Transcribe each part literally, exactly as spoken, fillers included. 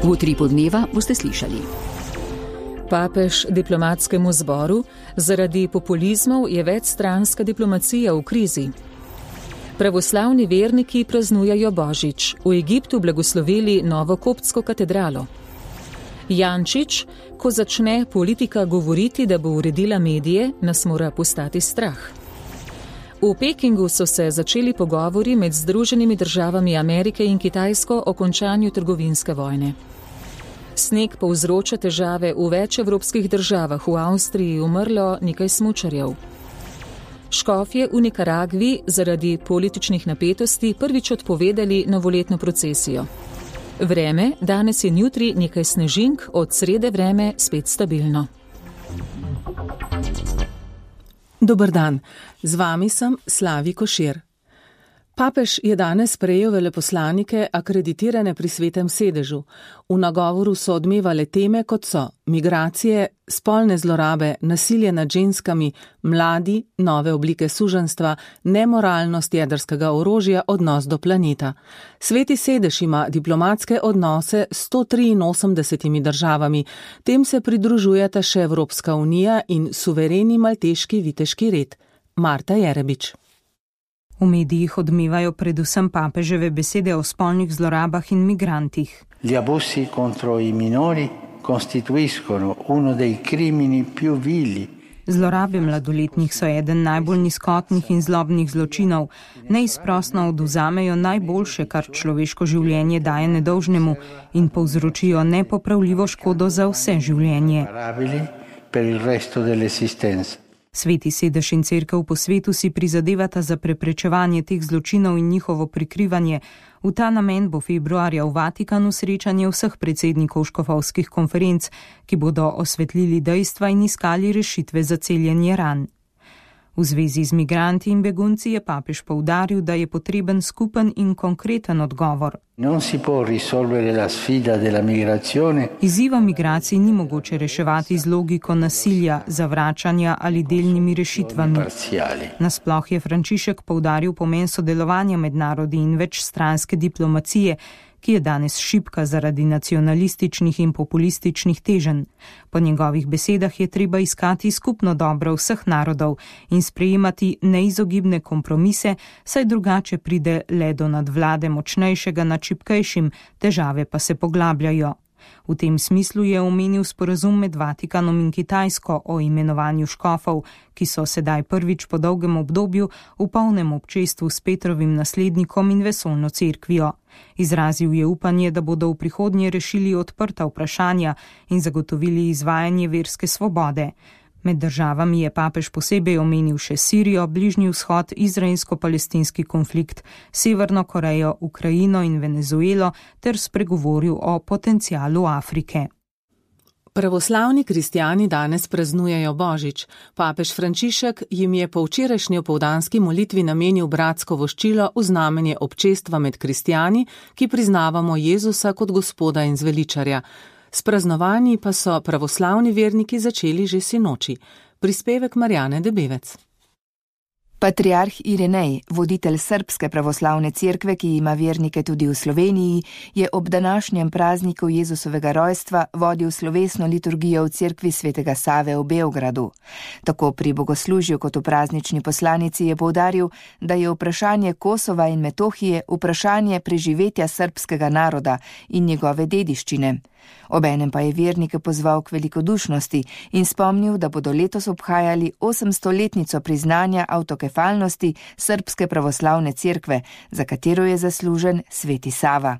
V Utripu dneva boste slišali. Papež diplomatskemu zboru: zaradi populizmov je večstranska diplomacija v krizi. Pravoslavni verniki praznujejo Božič, v Egiptu blagoslovili novo koptsko katedralo. Jančič: ko začne politika govoriti, da bo uredila medije, nas mora postati strah. V Pekingu so se začeli pogovori med Združenimi državami Amerike in Kitajsko o končanju trgovinske vojne. Sneg povzroča težave v več evropskih državah, v Avstriji umrlo nekaj smučarjev. Škofje v Nikaragvi zaradi političnih napetosti prvič odpovedali novoletno procesijo. Vreme, danes in jutri nekaj snežink, od srede vreme spet stabilno. Dober dan, z vami sem Slavi Košir. Papež je danes sprejel veleposlanike akreditirane pri Svetem sedežu. V nagovoru so odmevale teme, kot so migracije, spolne zlorabe, nasilje nad ženskami, mladi, nove oblike suženjstva, nemoralnost jedrskega orožja, odnos do planeta. Sveti sedež ima diplomatske odnose s sto triinosemdesetimi državami, tem se pridružujeta še Evropska unija in suvereni malteški viteški red. Marta Jerebič. V medijih odmevajo predvsem papeževe besede o spolnih zlorabah in migrantih. Gli abusi contro i minori costituiscono uno dei crimini più vili. Zlorabe mladoletnih so eden najbolj nizkotnih in zlobnih zločinov. Neizprosno oduzamejo najboljše, kar človeško življenje daje nedolžnemu, in povzročijo nepopravljivo škodo za vse življenje. Sveti sedež in cerkev po svetu si prizadevata za preprečevanje teh zločinov in njihovo prikrivanje. V ta namen bo februarja v Vatikanu srečanje vseh predsednikov škofovskih konferenc, ki bodo osvetlili dejstva in iskali rešitve za celjenje ran. V zvezi z migranti in begunci je papež poudaril, da je potreben skupen in konkreten odgovor. Non si può risolvere la sfida della migrazione. Izziva migracij ni mogoče reševati z logiko nasilja, zavračanja ali delnimi rešitvami. Nasploh je Frančišek poudaril pomen sodelovanja med narodi in večstranske diplomacije, ki je danes šibka zaradi nacionalističnih in populističnih teženj. Po njegovih besedah je treba iskati skupno dobro vseh narodov in sprejemati neizogibne kompromise, saj drugače pride le do nadvlade močnejšega nad šibkejšim, težave pa se poglabljajo. V tem smislu je omenil sporazum med Vatikanom in Kitajsko o imenovanju škofov, ki so sedaj prvič po dolgem obdobju v polnem občestvu s Petrovim naslednikom in vesoljno cerkvijo. Izrazil je upanje, da bodo v prihodnje rešili odprta vprašanja in zagotovili izvajanje verske svobode. Med državami je papež posebej omenil še Sirijo, Bližnji vzhod, izraelsko-palestinski konflikt, Severno Korejo, Ukrajino in Venezuelo ter spregovoril o potencialu Afrike. Pravoslavni kristjani danes praznujejo Božič. Papež Frančišek jim je po včerajšnji opoldanski molitvi namenil bratsko voščilo v znamenje občestva med kristjani, ki priznavamo Jezusa kot Gospoda in zveličarja. S praznovanji pa so pravoslavni verniki začeli že sinoči. Prispevek Marjane Debevec. Patriarh Irinej, voditelj Srbske pravoslavne cerkve, ki ima vernike tudi v Sloveniji, je ob današnjem prazniku Jezusovega rojstva vodil slovesno liturgijo v cerkvi svetega Save v Beogradu. Tako pri bogoslužju kot v praznični poslanici je poudaril, da je vprašanje Kosova in Metohije vprašanje preživetja srbskega naroda in njegove dediščine. Obenem pa je vernike pozval k velikodušnosti in spomnil, da bodo letos obhajali osemstoletnico priznanja avtokefalnosti Srbske pravoslavne cerkve, za katero je zaslužen sveti Sava.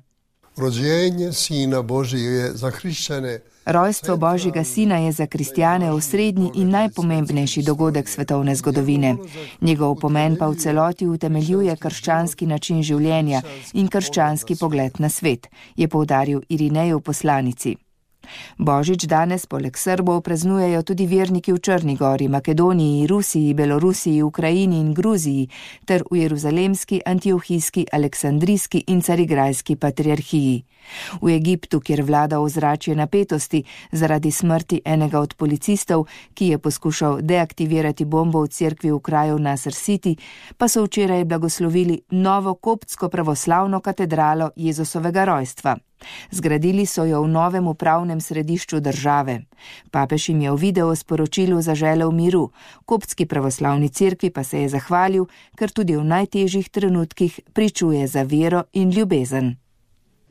Rođenje Sina Božjega je za hrišćane. Rojstvo Božjega Sina je za kristjane osrednji in najpomembnejši dogodek svetovne zgodovine. Njegov pomen pa v celoti utemeljuje krščanski način življenja in krščanski pogled na svet, je poudaril Irinej v poslanici. Božič danes poleg Srbov praznujejo tudi verniki v Črni gori, Makedoniji, Rusiji, Belorusiji, Ukrajini in Gruziji ter v Jeruzalemski, Antiohijski, Aleksandrijski in Carigrajski patriarhiji. V Egiptu, kjer vlada ozračje napetosti zaradi smrti enega od policistov, ki je poskušal deaktivirati bombo v cerkvi v kraju Nasr City, pa so včeraj blagoslovili novo koptsko pravoslavno katedralo Jezusovega rojstva. Zgradili so jo v novem upravnem središču države. Papež jim je v video sporočilu zaželel miru, koptski pravoslavni cerkvi pa se je zahvalil, ker tudi v najtežjih trenutkih pričuje za vero in ljubezen.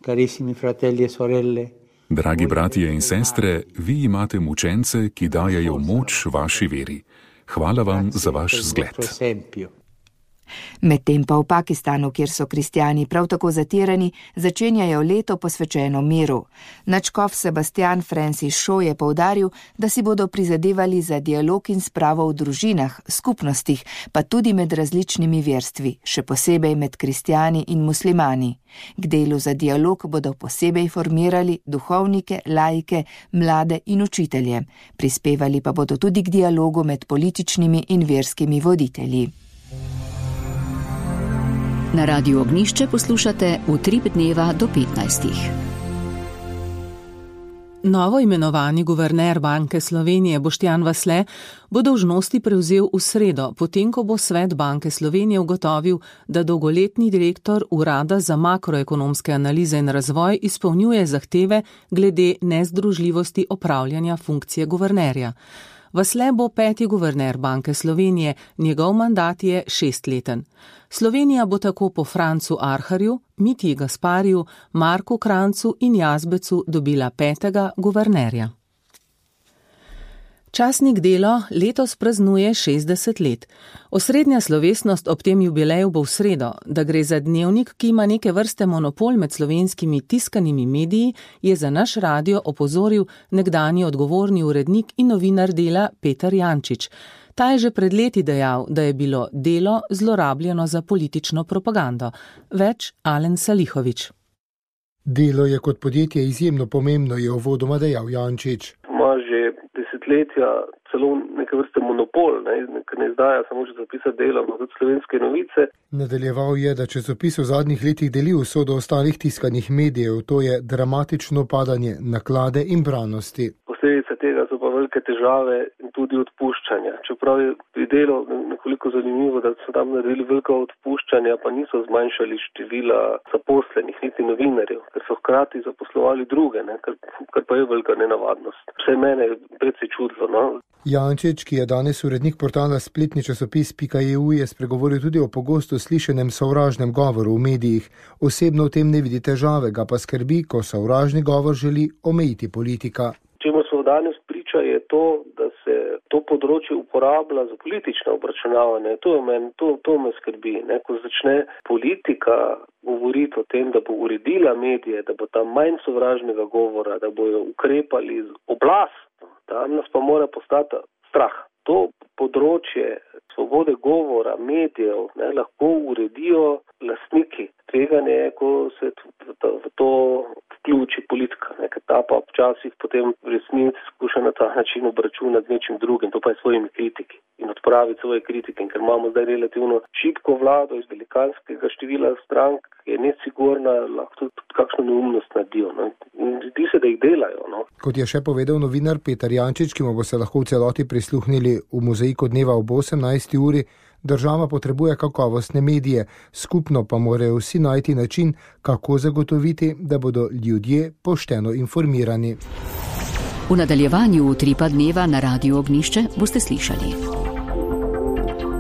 Carissimi fratelli e sorelle, dragi bratje in sestre, vi imate mučence, ki dajejo moč vaši veri. Hvala vam za vaš zgled. Medtem pa v Pakistanu, kjer so kristjani prav tako zatirani, začenjajo leto posvečeno miru. Nadškof Sebastian Francis Shaw je poudaril, da si bodo prizadevali za dialog in spravo v družinah, skupnostih, pa tudi med različnimi verstvi, še posebej med kristjani in muslimani. K delu za dialog bodo posebej formirali duhovnike, laike, mlade in učitelje. Prispevali pa bodo tudi k dialogu med političnimi in verskimi voditelji. Na Radiu Ognjišče poslušate Utrip dneva do petnajstih. Novo imenovani guverner Banke Slovenije Boštjan Vasle bo dolžnosti prevzel v sredo, potem ko bo svet Banke Slovenije ugotovil, da dolgoletni direktor Urada za makroekonomske analize in razvoj izpolnjuje zahteve glede nezdružljivosti opravljanja funkcije guvernerja. Vasle bo peti guverner Banke Slovenije, njegov mandat je šestleten. Slovenija bo tako po Francu Arharju, Mitji Gaspariju, Marku Krancu in Jazbecu dobila petega guvernerja. Časnik Delo letos praznuje šestdeset let. Osrednja slovesnost ob tem jubileju bo v sredo. Da gre za dnevnik, ki ima neke vrste monopol med slovenskimi tiskanimi mediji, je za naš radio opozoril nekdanji odgovorni urednik in novinar Dela Peter Jančič. Ta je že pred leti dejal, da je bilo Delo zlorabljeno za politično propagando. Več Alen Salihovič. Delo je kot podjetje izjemno pomembno, je uvodoma dejal Jančič. Ima že desetletja celo neke vrste monopol, ne, ker ne izdaja samo časopisa Delo, ampak tudi Slovenske novice. Nadaljeval je, da časopis v zadnjih letih deli usodo ostalih tiskanih medijev, to je dramatično padanje naklade in branosti. Posledice tega so pa velike težave in tudi odpuščanja. Čeprav je Delo nekoliko zanimivo, da so tam naredili velika odpuščanja, pa niso zmanjšali števila zaposlenih, niti novinarjev, ker so hkrati zaposlovali druge, ne, kar, kar pa je velika nenavadnost. Vse mene je predvsej čudilo, no. Jančič, ki je danes urednik portala spletni časopis pika e u, je spregovoril tudi o pogosto slišenem sovražnem govoru v medijih. Osebno v tem ne vidi težave, ga pa skrbi, ko sovražni govor želi omejiti politika. Čemu smo danes priča je to, da se to področje uporablja za politično obračunavanje. To, men, to, to me skrbi. Ne? Ko začne politika govoriti o tem, da bo uredila medije, da bo tam manj sovražnega govora, da bojo ukrepali z oblastno, tam nas pa mora postati strah. To področje svobode govora, medijev, ne, lahko uredijo lastniki. Tveganje je, ko se v to, v to vključi politika, ne, ker ta pa včasih potem v resnici skuša na ta način obračunati nečim drugim, to pa je svojimi kritiki in odpraviti svoje kritike. In ker imamo zdaj relativno šibko vlado iz velikanskega števila strank, je nesigurna, lahko tudi kakšno neumnost naredijo. No. In zdi se, da jih delajo. No. Kot je še povedal novinar Peter Jančič, ki mu bo se lahko v celoti prisluhnili v mozaiku dneva ob osemnajsti uri, država potrebuje kakovostne medije, skupno pa morajo vsi najti način, kako zagotoviti, da bodo ljudje pošteno informirani. V nadaljevanju Utripa dneva na Radiu Ognjišče boste slišali.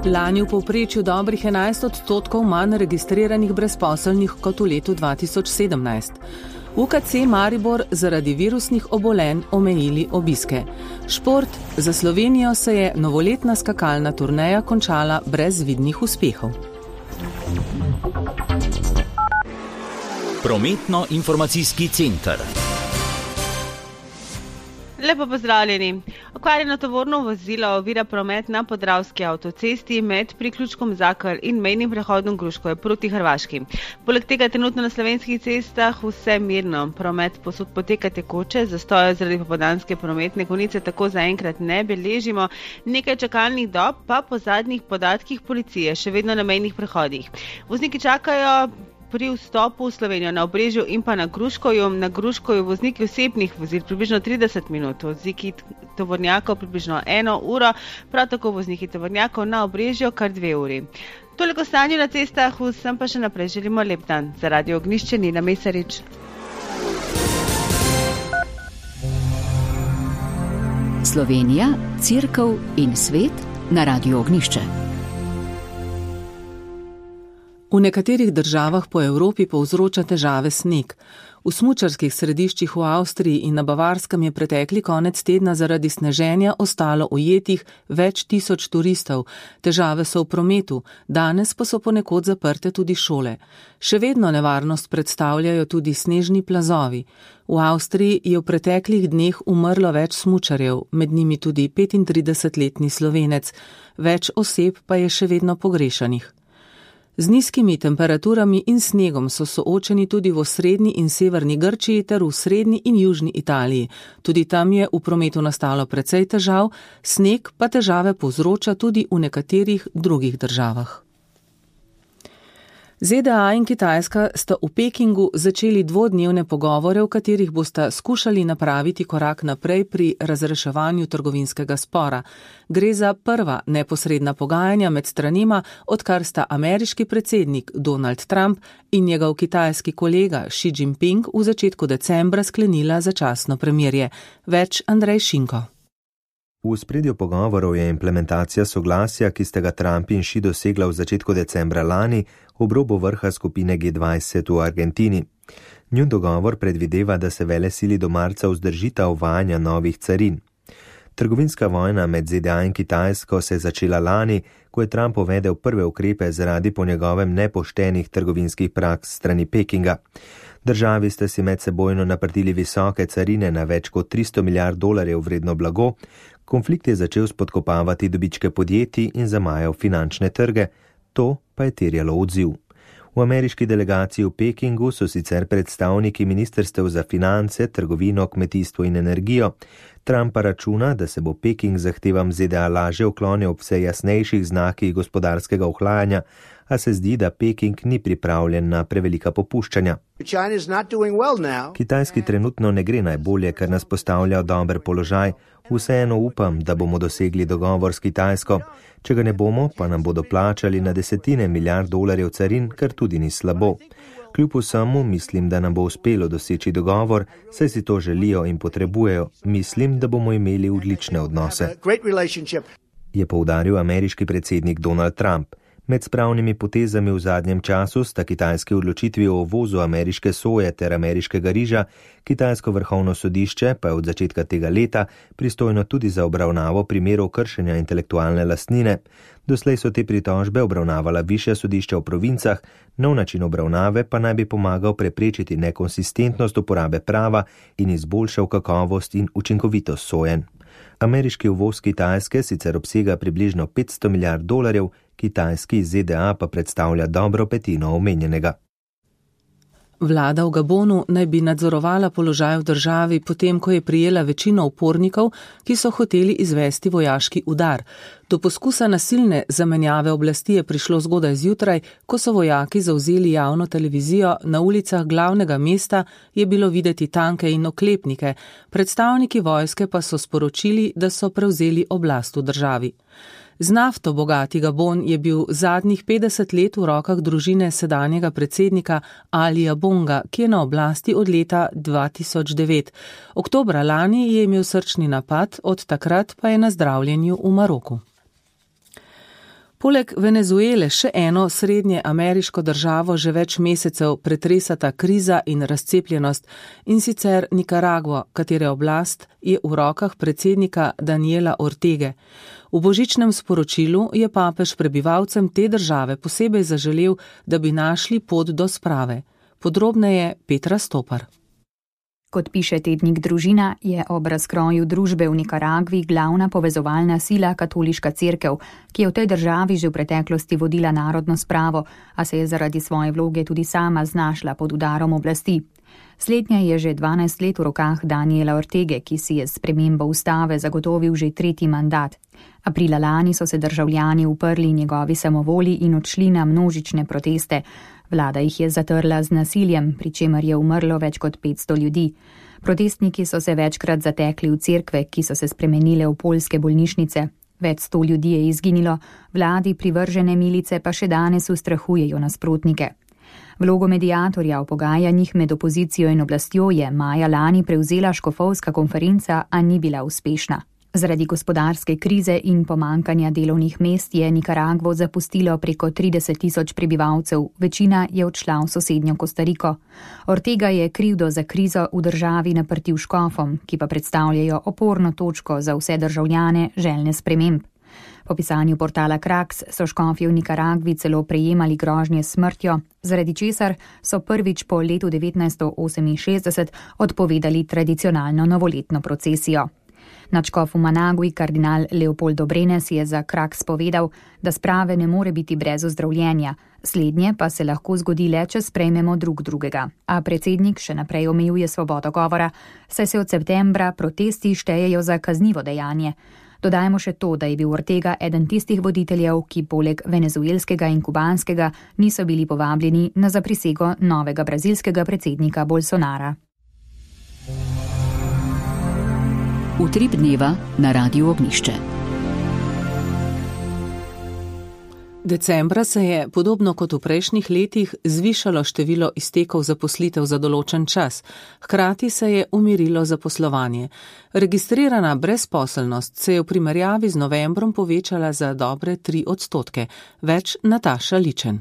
Lani v povprečju dobrih enajst odstotkov manj registriranih brezposelnih kot v letu dva tisoč sedemnajst. U K C Maribor zaradi virusnih obolenj omejili obiske. Šport. Za Slovenijo se je novoletna skakalna turneja končala brez vidnih uspehov. Prometno-informacijski center. Lepo pozdravljeni. Okvarjeno tovorno vozilo ovira promet na Podravski avtocesti med priključkom Zakr in mejnim prehodom Gruškovje proti Hrvaški. Poleg tega trenutno na slovenskih cestah vse mirno. Promet posod poteka tekoče, zastoja zaradi popoldanske prometne konice tako zaenkrat ne beležimo. Nekaj čakalnih dob pa po zadnjih podatkih policije še vedno na mejnih prehodih. Vozniki čakajo pri vstopu v Slovenijo na Obrežju in pa na Gruškovju. Na Gruškovju vozniki osebnih vozil približno trideset minut, vozniki tovornjakov približno eno uro, prav tako vozniki tovornjakov na Obrežju kar dve uri. Toliko stanju na cestah, vsem pa še naprej želimo lep dan. Za Radio Ognjišče Nina Mesarič. Slovenija, Cerkev in svet na Radiu Ognišče. V nekaterih državah po Evropi povzroča težave sneg. V smučarskih središčih v Avstriji in na Bavarskem je pretekli konec tedna zaradi sneženja ostalo ujetih več tisoč turistov. Težave so v prometu, danes pa so ponekod zaprte tudi šole. Še vedno nevarnost predstavljajo tudi snežni plazovi. V Avstriji je v preteklih dneh umrlo več smučarjev, med njimi tudi petintridesetletni Slovenec. Več oseb pa je še vedno pogrešanih. Z nizkimi temperaturami in snegom so soočeni tudi v osrednji in severni Grčiji ter v srednji in južni Italiji. Tudi tam je v prometu nastalo precej težav, sneg pa težave povzroča tudi v nekaterih drugih državah. ZDA in Kitajska sta v Pekingu začeli dvodnevne pogovore, v katerih bosta skušali napraviti korak naprej pri razreševanju trgovinskega spora. Gre za prva neposredna pogajanja med stranima, odkar sta ameriški predsednik Donald Trump in njegov kitajski kolega Xi Jinping v začetku decembra sklenila začasno premirje. Več Andrej Šinko. V spredju pogovorov je implementacija soglasja, ki sta ga Trump in Xi dosegla v začetku decembra lani ob robu vrha skupine G dvajset v Argentini. Njun dogovor predvideva, da se velesili do marca vzdržita uvajanja novih carin. Trgovinska vojna med ZDA in Kitajsko se je začela lani, ko je Trump uvedel prve ukrepe zaradi po njegovem nepoštenih trgovinskih praks strani Pekinga. Državi sta si medsebojno naprtili visoke carine na več kot tristo milijard dolarjev vredno blago, konflikt je začel spodkopavati dobičke podjetij in zamajal finančne trge, to pa je terjalo odziv. V ameriški delegaciji v Pekingu so sicer predstavniki ministrstev za finance, trgovino, kmetijstvo in energijo. Trump pa računa, da se bo Peking zahtevam ZDA lažje uklonil ob vse jasnejših znakih gospodarskega ohlajanja, a se zdi, da Peking ni pripravljen na prevelika popuščanja. Kitajski trenutno ne gre najbolje, ker nas postavlja v dober položaj. Vseeno upam, da bomo dosegli dogovor s Kitajsko. Če ga ne bomo, pa nam bodo plačali na desetine milijard dolarjev carin, kar tudi ni slabo. Kljub vsemu mislim, da nam bo uspelo doseči dogovor, saj si to želijo in potrebujejo. Mislim, da bomo imeli odlične odnose, je poudaril ameriški predsednik Donald Trump. Med spravnimi potezami v zadnjem času sta kitajski odločitvi o uvozu ameriške soje ter ameriškega riža, kitajsko vrhovno sodišče pa je od začetka tega leta pristojno tudi za obravnavo primerov kršenja intelektualne lastnine. Doslej so te pritožbe obravnavala višja sodišča v provincah, nov način obravnave pa naj bi pomagal preprečiti nekonsistentnost uporabe prava in izboljšal kakovost in učinkovitost sojen. Ameriški uvoz Kitajske sicer obsega približno petsto milijard dolarjev, kitajski iz ZDA pa predstavlja dobro petino omenjenega. Vlada v Gabonu naj bi nadzorovala položaj v državi, potem ko je prijela večino upornikov, ki so hoteli izvesti vojaški udar. Do poskusa nasilne zamenjave oblasti je prišlo zgodaj zjutraj, ko so vojaki zavzeli javno televizijo, na ulicah glavnega mesta je bilo videti tanke in oklepnike, predstavniki vojske pa so sporočili, da so prevzeli oblast v državi. Z nafto bogati Gabon je bil zadnjih petdeset let v rokah družine sedanjega predsednika Alija Bonga, ki je na oblasti od leta dva tisoč devet. Oktobra lani je imel srčni napad, od takrat pa je na zdravljenju v Maroku. Poleg Venezuele še eno srednje ameriško državo že več mesecev pretresata kriza in razcepljenost, in sicer Nikaragvo, katere oblast je v rokah predsednika Daniela Ortege. V božičnem sporočilu je papež prebivalcem te države posebej zaželel, da bi našli pot do sprave. Podrobneje Petra Stopar. Kot piše tednik Družina, je ob razkroju družbe v Nikaragvi glavna povezovalna sila katoliška cerkev, ki je v tej državi že v preteklosti vodila narodno spravo, a se je zaradi svoje vloge tudi sama znašla pod udarom oblasti. Slednja je že dvanajst let v rokah Daniela Ortege, ki si je s spremembo ustave zagotovil že tretji mandat. Aprila lani so se državljani uprli njegovi samovolji in odšli na množične proteste. Vlada jih je zatrla z nasiljem, pri čemer je umrlo več kot petsto ljudi. Protestniki so se večkrat zatekli v cerkve, ki so se spremenile v poljske bolnišnice. Več sto ljudi je izginilo, vladi privržene milice pa še danes ustrahujejo nasprotnike. Vlogo mediatorja v pogajanjih med opozicijo in oblastjo je maja lani prevzela škofovska konferenca, a ni bila uspešna. Zaradi gospodarske krize in pomankanja delovnih mest je Nikaragvo zapustilo preko trideset tisoč prebivalcev, večina je odšla v sosednjo Kostariko. Ortega je krivdo za krizo v državi naprtil škofom, ki pa predstavljajo oporno točko za vse državljane željne sprememb. Po pisanju portala Kraks so škofje v Nikaragvi celo prejemali grožnje s smrtjo, zaradi česar so prvič po letu devetnajststo oseminšestdeset odpovedali tradicionalno novoletno procesijo. Nadškof v Managui, kardinal Leopoldo Brenes, je za Kraks povedal, da sprave ne more biti brez ozdravljenja, slednje pa se lahko zgodi le, če sprejmemo drug drugega. A predsednik še naprej omejuje svobodo govora, saj se od septembra protesti štejejo za kaznivo dejanje. Dodajmo še to, da je bil Ortega eden tistih voditeljev, ki poleg venezuelskega in kubanskega niso bili povabljeni na zaprisego novega brazilskega predsednika Bolsonara. Utrip dneva na Radiu Ognjišče. Decembra se je, podobno kot v prejšnjih letih, zvišalo število iztekov zaposlitev za določen čas, hkrati se je umirilo zaposlovanje. Registrirana brezposelnost se je v primerjavi z novembrom povečala za dobre tri odstotke. Več Nataša Ličen.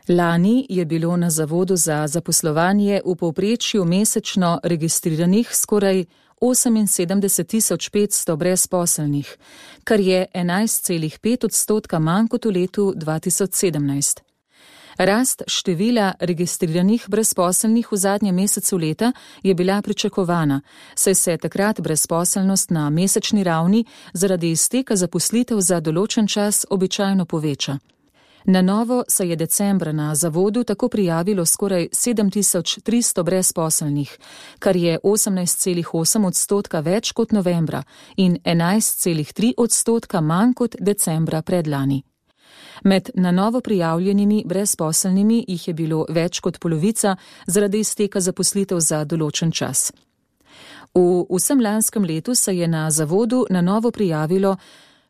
Lani je bilo na Zavodu za zaposlovanje v povprečju mesečno registriranih skoraj oseminsedemdeset tisoč petsto brezposelnih, kar je enajst celih pet odstotka manj kot v letu dva tisoč sedemnajst. Rast števila registriranih brezposelnih v zadnjem mesecu leta je bila pričakovana, saj se takrat brezposelnost na mesečni ravni zaradi izteka zaposlitev za določen čas običajno poveča. Na novo se je decembra na Zavodu tako prijavilo skoraj sedem tisoč tristo brezposelnih, kar je osemnajst celih osem odstotka več kot novembra in enajst celih tri odstotka manj kot decembra predlani. Med na novo prijavljenimi brezposelnimi jih je bilo več kot polovica zaradi izteka zaposlitev za določen čas. V vsem lanskem letu se je na Zavodu na novo prijavilo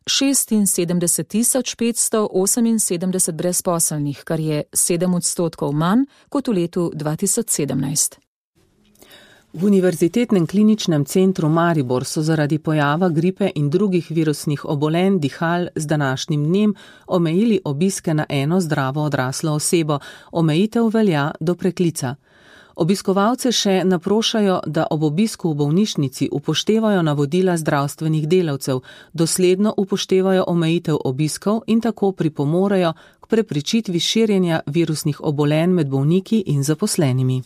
šestinsedemdeset tisoč petsto oseminsedemdeset brezposelnih, kar je sedem odstotkov manj kot v letu dva tisoč sedemnajst. V Univerzitetnem kliničnem centru Maribor so zaradi pojava gripe in drugih virusnih obolenj dihal z današnjim dnem omejili obiske na eno zdravo odraslo osebo. Omejitev velja do preklica. Obiskovalce še naprošajo, da ob obisku v bolnišnici upoštevajo navodila zdravstvenih delavcev, dosledno upoštevajo omejitev obiskov in tako pripomorejo k preprečitvi širjenja virusnih obolenj med bolniki in zaposlenimi.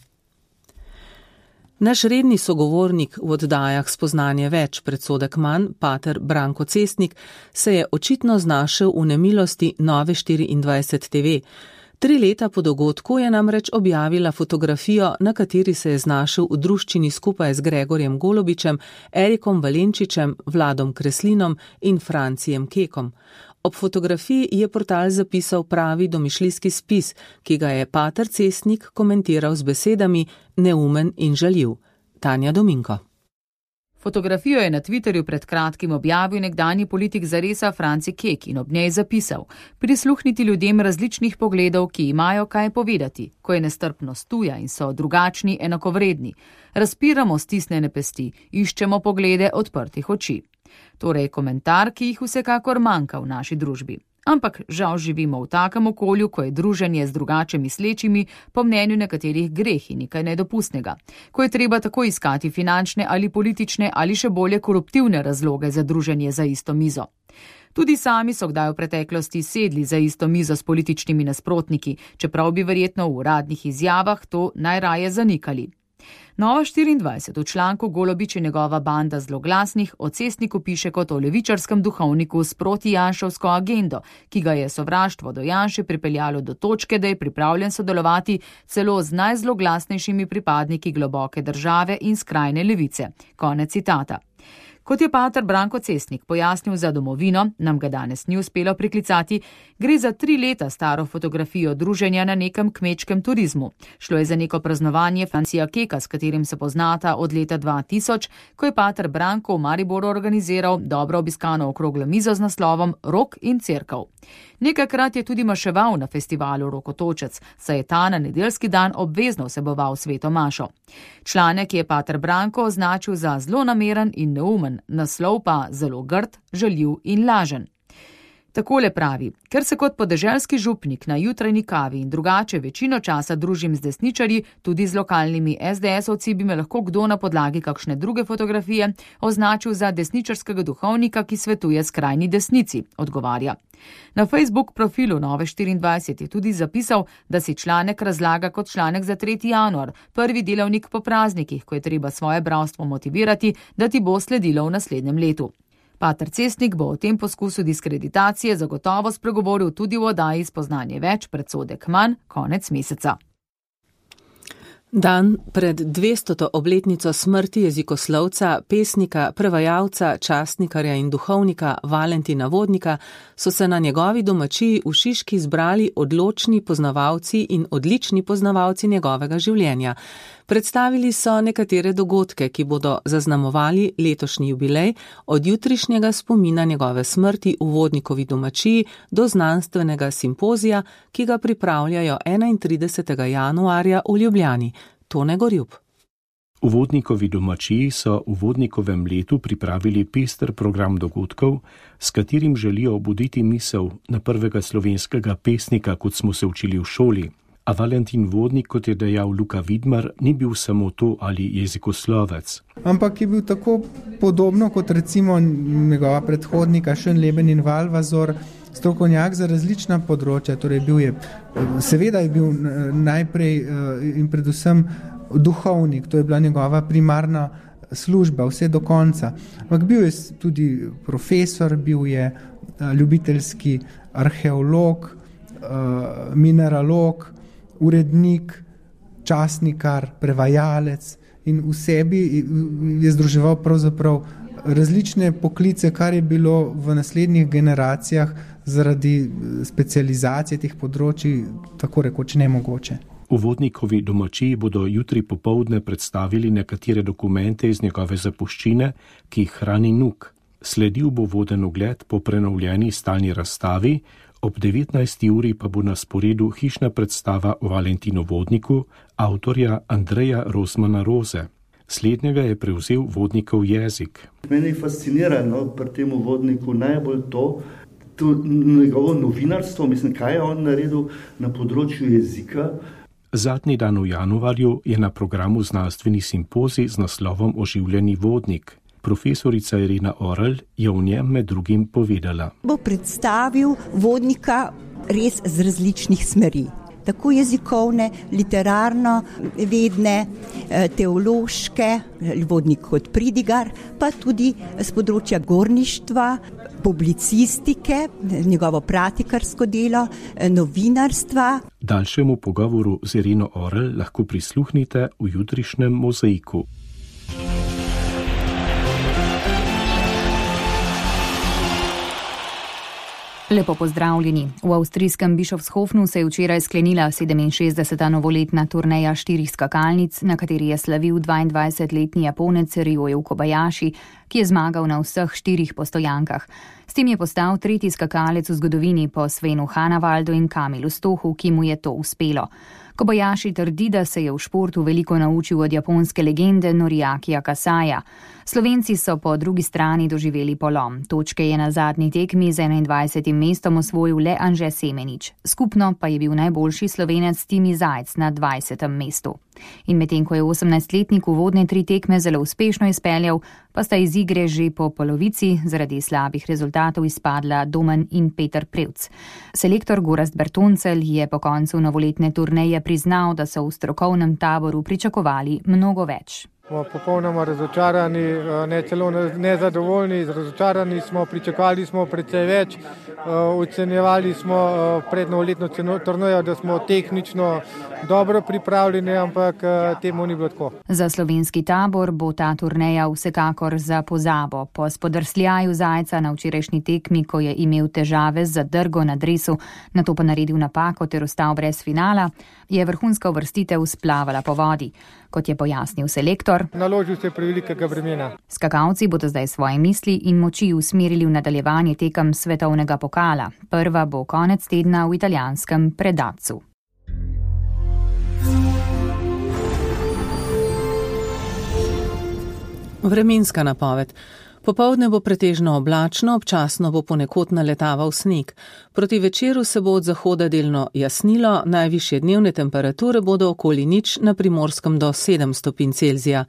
Naš redni sogovornik v oddajah Spoznanje več, predsodek manj, pater Branko Cestnik, se je očitno znašel v nemilosti Nove štiriindvajset te ve. Tri leta po dogodku je namreč objavila fotografijo, na kateri se je znašel v druščini skupaj z Gregorjem Golobičem, Erikom Valenčičem, Vladom Kreslinom in Francijem Kekom. Ob fotografiji je portal zapisal pravi domišljijski spis, ki ga je pater Cestnik komentiral z besedami neumen in žaljiv. Tanja Dominko. Fotografijo je na Twitterju pred kratkim objavil nekdanji politik Zaresa Franci Kek in ob njej zapisal: prisluhniti ljudem različnih pogledov, ki imajo kaj povedati, ko je nestrpnost tuja in so drugačni enakovredni. Razpiramo stisnjene pesti, iščemo poglede odprtih oči. Torej komentar, ki jih vsekakor manjka v naši družbi. Ampak žal živimo v takem okolju, ko je druženje z drugače mislečimi po mnenju nekaterih greh in nekaj nedopustnega, ko je treba tako iskati finančne ali politične ali še bolje koruptivne razloge za druženje za isto mizo. Tudi sami so kdaj v preteklosti sedli za isto mizo s političnimi nasprotniki, čeprav bi verjetno v uradnih izjavah to najraje zanikali. Nova štiriindvajset v članku Golobič in njegova banda zloglasnih o Cestniku piše kot o levičarskem duhovniku s protijanševsko agendo, ki ga je sovraštvo do Janše pripeljalo do točke, da je pripravljen sodelovati celo z najzloglasnejšimi pripadniki globoke države in skrajne levice. Konec citata. Kot je pater Branko Cestnik pojasnil za Domovino, nam ga danes ni uspelo priklicati, gre za tri leta staro fotografijo druženja na nekem kmečkem turizmu. Šlo je za neko praznovanje Francija Keka, s katerim se poznata od leta dva tisoč, ko je pater Branko v Mariboru organiziral dobro obiskano okroglo mizo z naslovom Rok in cerkev. Nekajkrat je tudi maševal na festivalu Rokotočec, saj je ta na nedeljski dan obvezno vseboval sveto mašo. Članek je pater Branko označil za zlonameren in neumen, smešen, naslov pa zelo grd, žaljiv in lažen. Takole pravi: ker se kot podeželski župnik na jutranji kavi in drugače večino časa družim z desničarji, tudi z lokalnimi es de esovci, bi me lahko kdo na podlagi kakšne druge fotografije označil za desničarskega duhovnika, ki svetuje skrajni desnici, odgovarja. Na Facebook profilu Nove štiriindvajset je tudi zapisal, da si članek razlaga kot članek za tretji januar, prvi delavnik po praznikih, ko je treba svoje bralstvo motivirati, da ti bo sledilo v naslednjem letu. Pater Cestnik bo o tem poskusu diskreditacije zagotovo spregovoril tudi v oddaji Spoznanje več, predsodek manj, konec meseca. Dan pred dvestoto obletnico smrti jezikoslovca, pesnika, prevajalca, častnikarja in duhovnika Valentina Vodnika so se na njegovi domačiji v Šiški zbrali odločni poznavalci in odlični poznavalci njegovega življenja. Predstavili so nekatere dogodke, ki bodo zaznamovali letošnji jubilej, od jutrišnjega spomina njegove smrti v Vodnikovi domačiji do znanstvenega simpozija, ki ga pripravljajo enaintridesetega januarja v Ljubljani. Tone Gorjub. V Vodnikovi domačiji so v Vodnikovem letu pripravili pester program dogodkov, s katerim želijo obuditi misel na prvega slovenskega pesnika, kot smo se učili v šoli. A Valentin Vodnik, kot je dejal Luka Vidmar, ni bil samo to ali jezikoslovec. Ampak je bil tako podobno kot recimo njegova predhodnika Schönleben in Valvazor, strokovnjak za različna področja. Torej bil je, seveda je bil najprej in predvsem duhovnik, to je bila njegova primarna služba, vse do konca. Ampak bil je tudi profesor, bil je ljubiteljski arheolog, mineralog, urednik, časnikar, prevajalec in v sebi je združeval pravzaprav različne poklice, kar je bilo v naslednjih generacijah zaradi specializacije teh področij tako rekoč nemogoče. V Vodnikovi domačiji bodo jutri popoldne predstavili nekatere dokumente iz njegove zapuščine, ki jih hrani Nuk. Sledil bo voden ogled po prenovljeni stalni razstavi, ob devetnajsti uri pa bo na sporedu hišna predstava o Valentinu Vodniku, avtorja Andreja Rosmana Roze. Slednjega je prevzel Vodnikov jezik. Mene je fascinirano pri tem Vodniku najbolj to, to njegovo novinarstvo, mislim, kaj je on naredil na področju jezika. Zadnji dan v januarju je na programu znanstveni simpozij z naslovom Oživljeni vodnik. Profesorica Irena Orel je v njem med drugim povedala. Bo predstavil vodnika res z različnih smeri. Tako jezikovne, literarno vedne, teološke, vodnik kot pridigar, pa tudi z področja gorništva, publicistike, njegovo pratikarsko delo, novinarstva. Daljšemu pogovoru z Ireno Orel lahko prisluhnite v jutrišnjem mozaiku. Lepo pozdravljeni. V avstrijskem Bischofshofnu se je včeraj sklenila sedeminšestdeseta novoletna turneja štirih skakalnic, na kateri je slavil dvaindvajsetletni Japonec Ryoju Kobayashi, ki je zmagal na vseh štirih postojankah. S tem je postal tretji skakalec v zgodovini po Svenu Hanavaldu in Kamilu Stohu, ki mu je to uspelo. Kobayashi trdi, da se je v športu veliko naučil od japonske legende Noriakija Kasaja. Slovenci so po drugi strani doživeli polom. Točke je na zadnji tekmi z enaindvajsetim mestom osvojil le Anže Semenič. Skupno pa je bil najboljši Slovenec Timi Zajc na dvajsetem mestu. In medtem ko je osemnajstletnik uvodne tri tekme zelo uspešno izpeljal, pa sta iz igre že po polovici zaradi slabih rezultatov izpadla Domen in Peter Prevc. Selektor Gorazd Bertoncelj je po koncu novoletne turneje priznal, da so v strokovnem taboru pričakovali mnogo več. Smo popolnoma razočarani, ne celo nezadovoljni, razočarani smo, pričakovali smo precej več, ocenjevali smo pred novoletno turnejo, da smo tehnično dobro pripravljeni, ampak temu ni bilo tako. Za slovenski tabor bo ta turneja vsekakor za pozabo. Po spodrsljaju Zajca na včerajšnji tekmi, ko je imel težave z zadrgo na dresu, nato pa naredil napako ter ostal brez finala, je vrhunska uvrstitev splavala po vodi. Kot je pojasnil selektor, naložil se prevelikega bremena. Skakalci bodo zdaj svoje misli in moči usmerili v nadaljevanje tekem svetovnega pokala. Prva bo konec tedna v italijanskem Predacu. Vremenska napoved. Popoldne bo pretežno oblačno, občasno bo ponekod naletaval sneg. Proti večeru se bo od zahoda delno jasnilo, najvišje dnevne temperature bodo okoli nič, na Primorskem do sedem stopinj Celzija.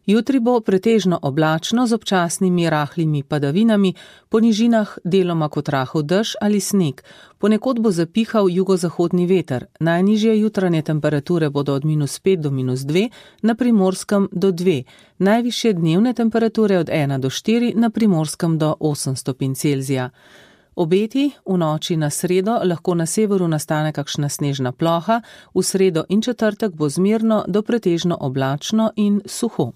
Jutri bo pretežno oblačno z občasnimi rahlimi padavinami, po nižinah deloma kot rahel dež ali sneg. Ponekod bo zapihal jugozahodni veter. Najnižje jutranje temperature bodo od minus pet do minus dve, na Primorskem do dve. Najvišje dnevne temperature od ena do štiri, na Primorskem do osem stopinj Celzija. Obeti: v noči na sredo lahko na severu nastane kakšna snežna ploha, v sredo in četrtek bo zmerno do pretežno oblačno in suho.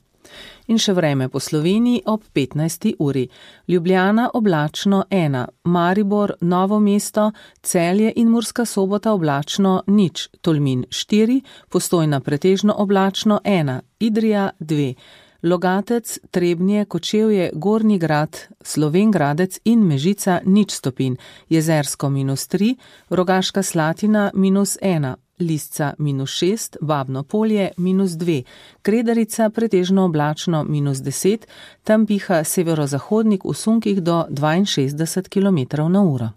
In še vreme po Sloveniji ob petnajsti uri. Ljubljana oblačno ena, Maribor, Novo mesto, Celje in Murska Sobota oblačno nič, Tolmin štiri, Postojna pretežno oblačno ena, Idrija dve, Logatec, Trebnje, Kočevje, Gornji Grad, Slovenj Gradec in Mežica nič stopinj, Jezersko minus tri, Rogaška Slatina minus ena, Lisca minus šest, Babno Polje minus dve, Kredarica pretežno oblačno minus deset, tam piha severozahodnik v sunkih do dvainšestdeset kilometrov na uro.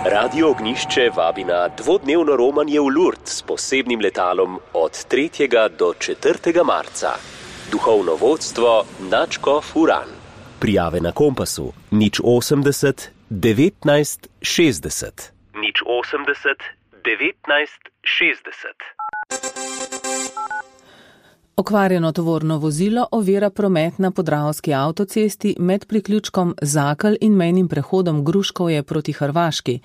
Radio Ognišče vabi na dvodnevno romanje v Lourdes s posebnim letalom od tretjega do četrtega marca. Duhovno vodstvo nadškof Uran. Prijave na Kompasu nič osemdeset devetnajst šestdeset. nič osemdeset devetnajst šestdeset. Okvarjeno tovorno vozilo ovira promet na Podravski avtocesti med priključkom Zakelj in mejnim prehodom Gruškovje proti Hrvaški.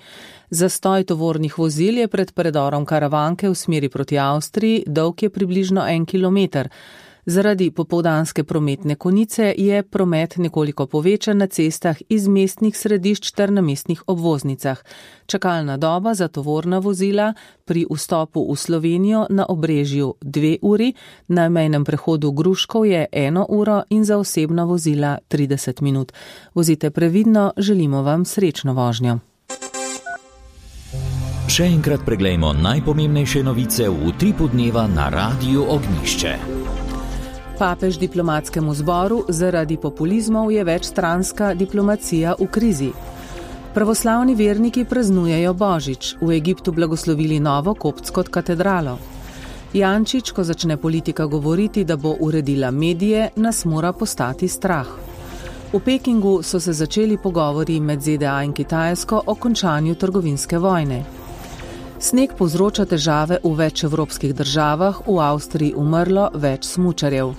Zastoj tovornih vozil je pred predorom Karavanke v smeri proti Avstriji, dolg je približno en kilometer. Zaradi popoldanske prometne konice je promet nekoliko povečan na cestah iz mestnih središč ter na mestnih obvoznicah. Čakalna doba za tovorna vozila pri vstopu v Slovenijo na Obrežju dve uri, na mejnem prehodu Gruškov je eno uro in za osebna vozila trideset minut. Vozite previdno, želimo vam srečno vožnjo. Še enkrat preglejmo najpomembnejše novice v utripu dneva na Radiu Ognišče. Papež diplomatskemu zboru: zaradi populizmov je večstranska diplomacija v krizi. Pravoslavni verniki praznujejo Božič, v Egiptu blagoslovili novo koptsko katedralo. Jančič, ko začne politika govoriti, da bo uredila medije, nas mora postati strah. V Pekingu so se začeli pogovori med Z D A in Kitajsko o končanju trgovinske vojne. Sneg povzroča težave v več evropskih državah, v Avstriji umrlo več smučarjev.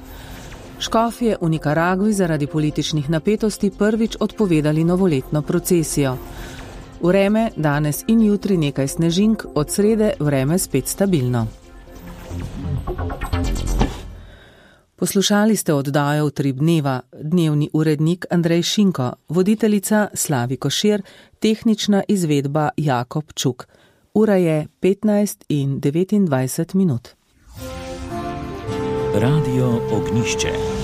Škofje v Nikaragvi zaradi političnih napetosti prvič odpovedali novoletno procesijo. Vreme danes in jutri nekaj snežink, od srede vreme spet stabilno. Poslušali ste oddajo Utrip dneva, dnevni urednik Andrej Šinko, voditeljica Slavi Košir, tehnična izvedba Jakob Čuk. Ura je petnajst in devetindvajset minut. Radio Ognišče.